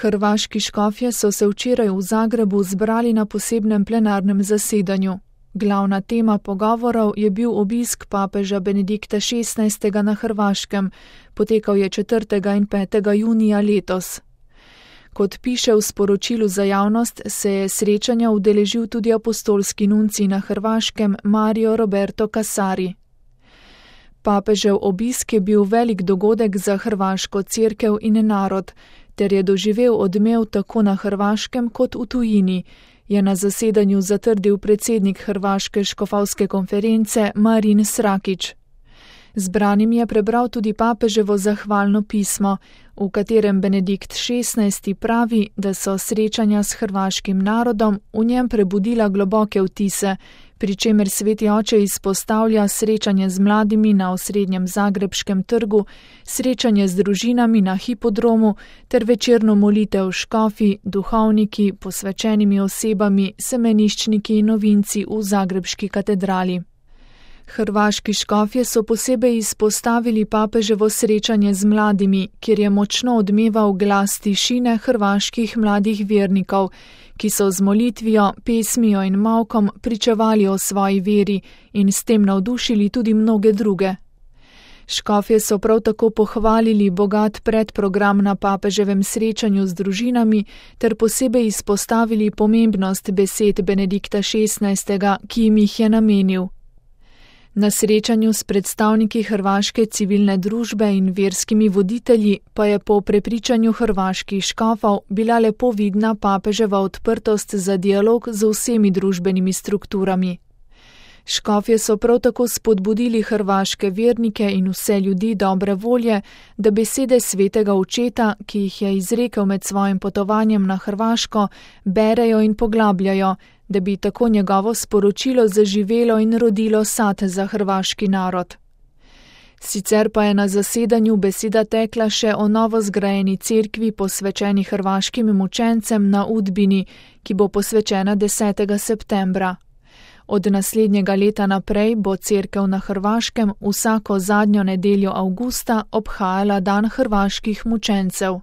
Hrvaški škofje so se včeraj v Zagrebu zbrali na posebnem plenarnem zasedanju. Glavna tema pogovorov je bil obisk papeža Benedikta XVI. Na Hrvaškem, potekal je 4. in 5. junija letos. Kot piše v sporočilu za javnost, se je srečanja udeležil tudi apostolski nuncij na Hrvaškem Mario Roberto Casari. Papežev obisk je bil velik dogodek za hrvaško cerkev in narod, ter je doživel odmev tako na Hrvaškem kot v tujini, je na zasedanju zatrdil predsednik Hrvaške škofovske konference Marin Srakić. Zbranim je prebral tudi papeževo zahvalno pismo, v katerem Benedikt XVI. Pravi, da so srečanja s hrvaškim narodom v njem prebudila globoke vtise, pri čemer sveti oče izpostavlja srečanje z mladimi na osrednjem zagrebškem trgu, srečanje z družinami na hipodromu ter večerno molitev škofi, duhovniki, posvečenimi osebami, semeniščniki in novinci v zagrebški katedrali. Hrvaški škofje so posebej izpostavili papeževo srečanje z mladimi, kjer je močno odmeval glas tišine hrvaških mladih vernikov, ki so z molitvijo, pesmijo in molkom pričevali o svoji veri in s tem navdušili tudi mnoge druge. Škofje so prav tako pohvalili bogat predprogram na papeževem srečanju z družinami ter posebej izpostavili pomembnost besed Benedikta XVI., ki jim jih je namenil. Na srečanju s predstavniki hrvaške civilne družbe in verskimi voditelji pa je po prepričanju hrvaških škofov bila lepo vidna papeževa odprtost za dialog z vsemi družbenimi strukturami. Škofje so prav tako spodbudili hrvaške vernike in vse ljudi dobre volje, da besede svetega očeta, ki jih je izrekel med svojim potovanjem na Hrvaško, berejo in poglabljajo, da bi tako njegovo sporočilo zaživelo in rodilo sad za hrvaški narod. Sicer pa je na zasedanju beseda tekla še o novo zgrajeni cerkvi posvečeni hrvaškim mučencem na Udbini, ki bo posvečena 10. septembra. Od naslednjega leta naprej bo cerkev na Hrvaškem vsako zadnjo nedeljo avgusta obhajala dan hrvaških mučencev.